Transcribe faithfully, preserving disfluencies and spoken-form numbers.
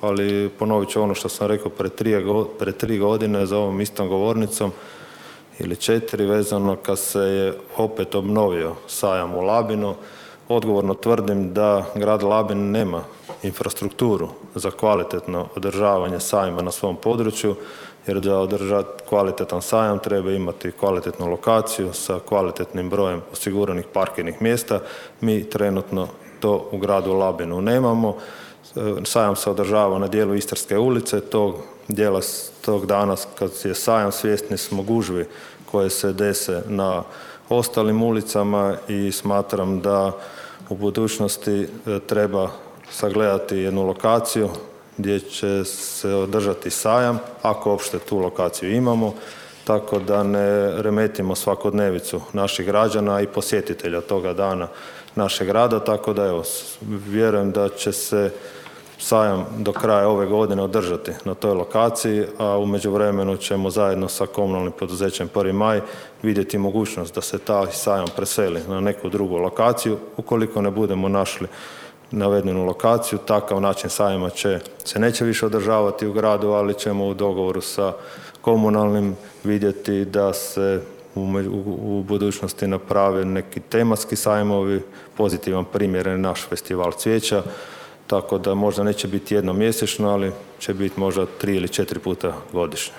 ali ponovit ću ono što sam rekao pred tri, pred tri godine za ovom istom govornicom ili četiri, vezano kad se je opet obnovio sajam u Labinu. Odgovorno tvrdim da grad Labin nema infrastrukturu za kvalitetno održavanje sajma na svom području, jer da održati kvalitetan sajam treba imati kvalitetnu lokaciju sa kvalitetnim brojem osiguranih parkirnih mjesta. Mi trenutno to u gradu Labinu nemamo. Sajam se održava na dijelu Istarske ulice, tog dijela tog dana kad je sajam svjesni smo gužvi koje se dese na ostalim ulicama i smatram da u budućnosti treba sagledati jednu lokaciju gdje će se održati sajam, ako uopšte tu lokaciju imamo, tako da ne remetimo svakodnevicu naših građana i posjetitelja toga dana našeg grada, tako da evo, vjerujem da će se sajam do kraja ove godine održati na toj lokaciji, a u međuvremenu ćemo zajedno sa komunalnim poduzećem Prvi maj vidjeti mogućnost da se taj sajam preseli na neku drugu lokaciju. Ukoliko ne budemo našli navedenu lokaciju, takav način sajma će, se neće više održavati u gradu, ali ćemo u dogovoru sa komunalnim vidjeti da se u, u, u budućnosti naprave neki tematski sajmovi. Pozitivan primjer je naš festival cvijeća, tako da možda neće biti jednom mjesečno, ali će biti možda tri ili četiri puta godišnje.